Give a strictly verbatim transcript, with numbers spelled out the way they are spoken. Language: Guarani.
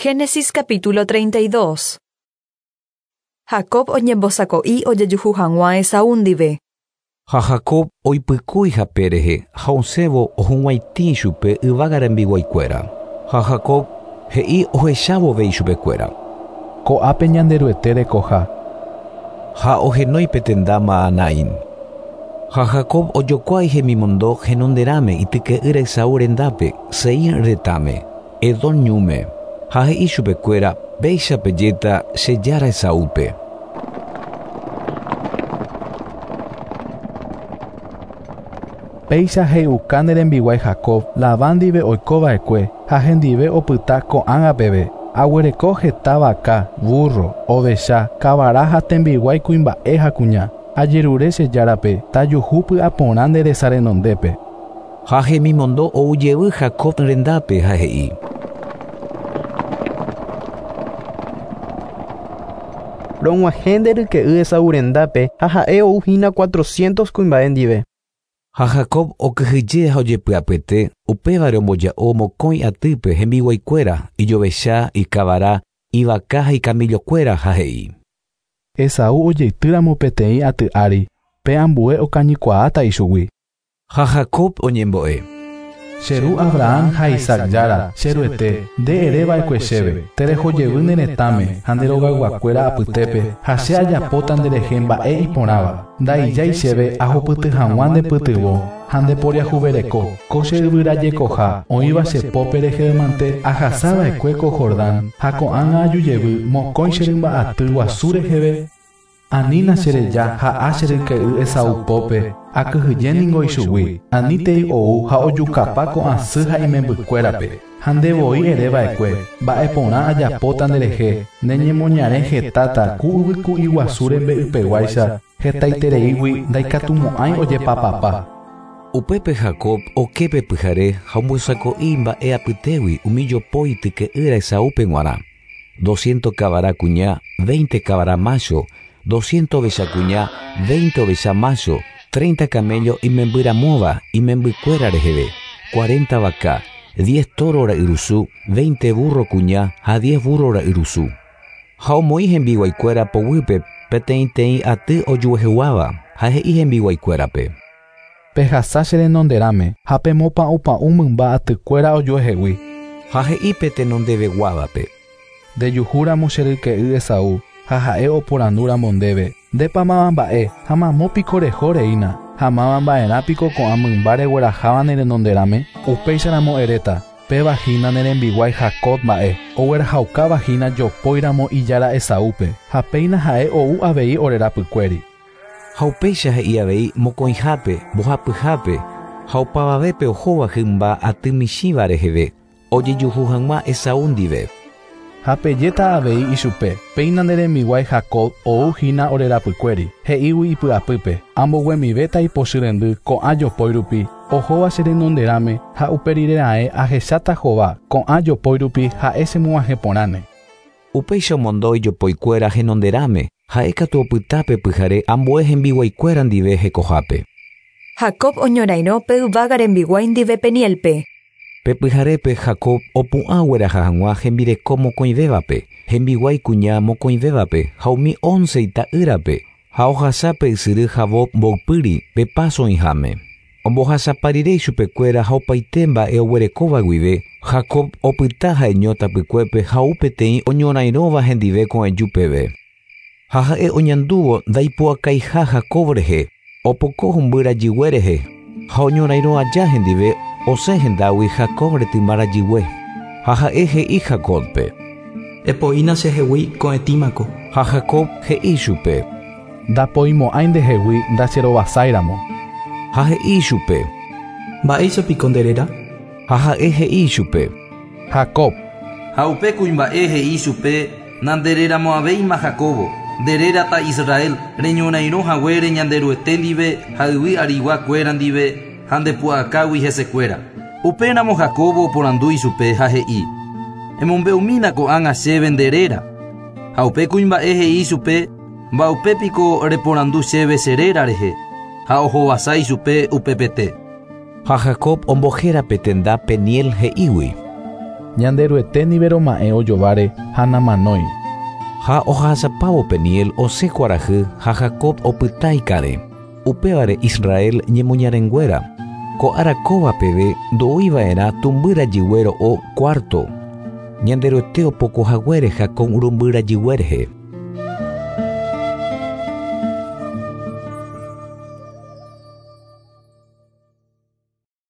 Génesis capítulo treinta y dos. Jacob oñembosako'i ojejuhu hag̃ua Esaú ndive. Ha Jacob oipykúi hape rehe ha osẽvo ohug̃uaitĩ chupe yvága rembiguaikuéra. Ha Jacob he'i ohechavove ichupekuéra. Ko'ápe Ñanderuete rekoha. Ha ohenói petenda Mahanaim. Ha Jacob ojokuái hemimondo henonderãme ityke'ýra Esaú rendápe, Seir retãme, Edom ñúme. Ha he'i chupekuéra péicha pejéta che jára Esaúpe. Péicha he'uka ne rembiguái Jacob, Labán ndive oikova'ekue ha hendive opyta ko'ág̃a peve. Aguereko heta vaka, burro, ovecha, kavara ha tembiguái kuimba'e ha kuña. Ajerure che járape tajuhu py'aporã nde resa renondépe. Ha hemimondo oujevy Jacob rendápe ha he'i. Rog̃uahẽ nde ryke'y Esaú rendápe ha ha'e ouhína cuatrocientos kuimba'e ndive. Ha Jacob okyhyje ha ojepy'apyete upévare omboja'o mokõi atýpe hembiguaikuéra, ijovecha, ikavara, ivaka ha ikamillokuéra ha he'i. Esaú ojeitýramo peteĩ aty ári, pe ambue okañykuaáta ichugui. Ha Jacob oñembo'e. Che ru Abraham ha Isaac jára, che ruete, nde ereva'ekue chéve, terehojevy ne retãme ha nde rogayguakuéra apytépe ha che ajapóta nderehe mba'e iporãva. Ndaijái chéve ahupyty hag̃ua ndepytyvõ ha ndeporiahuvereko, ko che yvyrajekoha oĩva che pópe rehevemante ahasava'ekue ko Jordán ha ko'ág̃a ajujevy mokõi che rymba'aty guasu reheve. Anína chereja ha'a che ryke'y Esaú pópe, akyhyje ningo ichugui, anítei ou ha ojukapa ko'ã sy ha imembykuérape. Ha ndevoi ereva'ekue, mba'eporã ajapóta nderehe, neñemoñare hetáta ku yvyku'i guasu rembe'ypeguáicha, hetaitereígui ndaikatumo'ãi ojepapapa. Upépe Jacob oképe pyhare ha ombosako'i mba'e apytégui umi jopói tyke'ýra Esaúpe g̃uarã. Doscientos kavara kuña, veinte kavara macho, doscientos ovecha kuña, veinte ovecha macho, treinta camello imembyramóva imembykuéra reheve, cuarenta vaka, diez toro ra'yrusu, veinte burro kuña ha diez burro ra'yrusu. Ha omoĩ hembiguaikuéra poguýpe peteĩteĩ aty ojueheguáva ha he'i hembiguaikuérape. Pehasa che renonderãme ha pemopa'ũpa'ũ mymba atykuéra ojuehegui. Ha he'i pe tenondeveguávape. Ndejuhúramo che ryke'y Esaú ha ha'e oporandúramo ndéve, ndépa máva mba'e ha mamópiko reho reína, ha máva mba'erãpiko ko'ã mymba regueraháva ne renonderãme, upéicharamo eréta, péva hína ne rembiguái Jacob mba'e, oguerahaukáva hína jopóiramo ijára Esaúpe, ha péina ha'e ou avei orerapykuéri. Ha upéicha he'i avei mokõihápe, mbohapyhápe, ha opavavépe ohóva hymba aty michĩva reheve, ojejuhu hag̃ua Esaú ndive. Ha pejéta avei ichupe, péina nde rembiguái Jacob ou hína orerapykuéri, he'ígui ipy'apýpe, amboguemivéta ipochy rendy ko'ã jopói rupi, ohóva che renonderãme ha uperirera'ẽ ahecháta hova ko'ã jopói rupi ha'e chemog̃uahẽporãne. Upéicha omondo ijopoikuéra henonderãme, ha'ékatu opytápe pyhare ambue hembiguaikuéra ndive hekohápe. Jacob oñorairõ pe yvága rembiguái ndive Penielpe. Pe pyharépe Jacob opu'ã ogueraha hag̃ua hembireko mokõivévape, hembiguái kuña mokõivévape ha umi once ita'ýrape ha ohasápe ysyry Jaboc mboypýri pe paso oĩháme. Ombohasapa rire ichupekuéra ha opaite mba'e oguerekóva guive, Jacob opyta ha'eño tapykuépe ha ou peteĩ oñorairõva hendive ko'ẽju peve. Ha ha'e oñandúvo ndaipu'akaiha Jacob rehe, opoko humby rajygue rehe, ha oñorairõ aja hendive osẽ hendágui Jacob retyma rajygue. Ha ha'e he'i Jacobpe. Epoína chehegui ko'ẽtĩmako. Ha Jacob he'i chupe. Ndapoimo'ãi ndehegui ndacherovasáiramo. Ha he'i chupe. Mba'éichapiko nde réra? Ha ha'e he'i chupe. Jacob. Ha upe kuimba'e he'i chupe nandereramo'ãvéima Jacobo, nderérata Israel, reñorairõ haguére Ñanderuete ndive ha yvy ariguakuéra ndive ha ndepu'akágui hesekuéra. Upéramo Jacobo oporandu ichupe ha he'i. Emombe'umína ko'ág̃a chéve nde réra. Ha upe kuimba'e he'i chupe mba'upépiko reporandu chéve che réra rehe ha ohovasa ichupe upepete. Ha Jacob ombohéra pe tenda Peniel he'ígui. Ñanderuete ndive roma'ẽ ojováre ha namanói. Ha ohasapávo Peniel osẽ kuarahy ha Jacob opyta ikarẽ. Upévare Israel ñemoñarenguéra. Ko ára kóva peve ndo'uiva'erã tumby rajygue ro'o cuarto. Ñanderuete opokohaguére Jacob rumby rajygue rehe.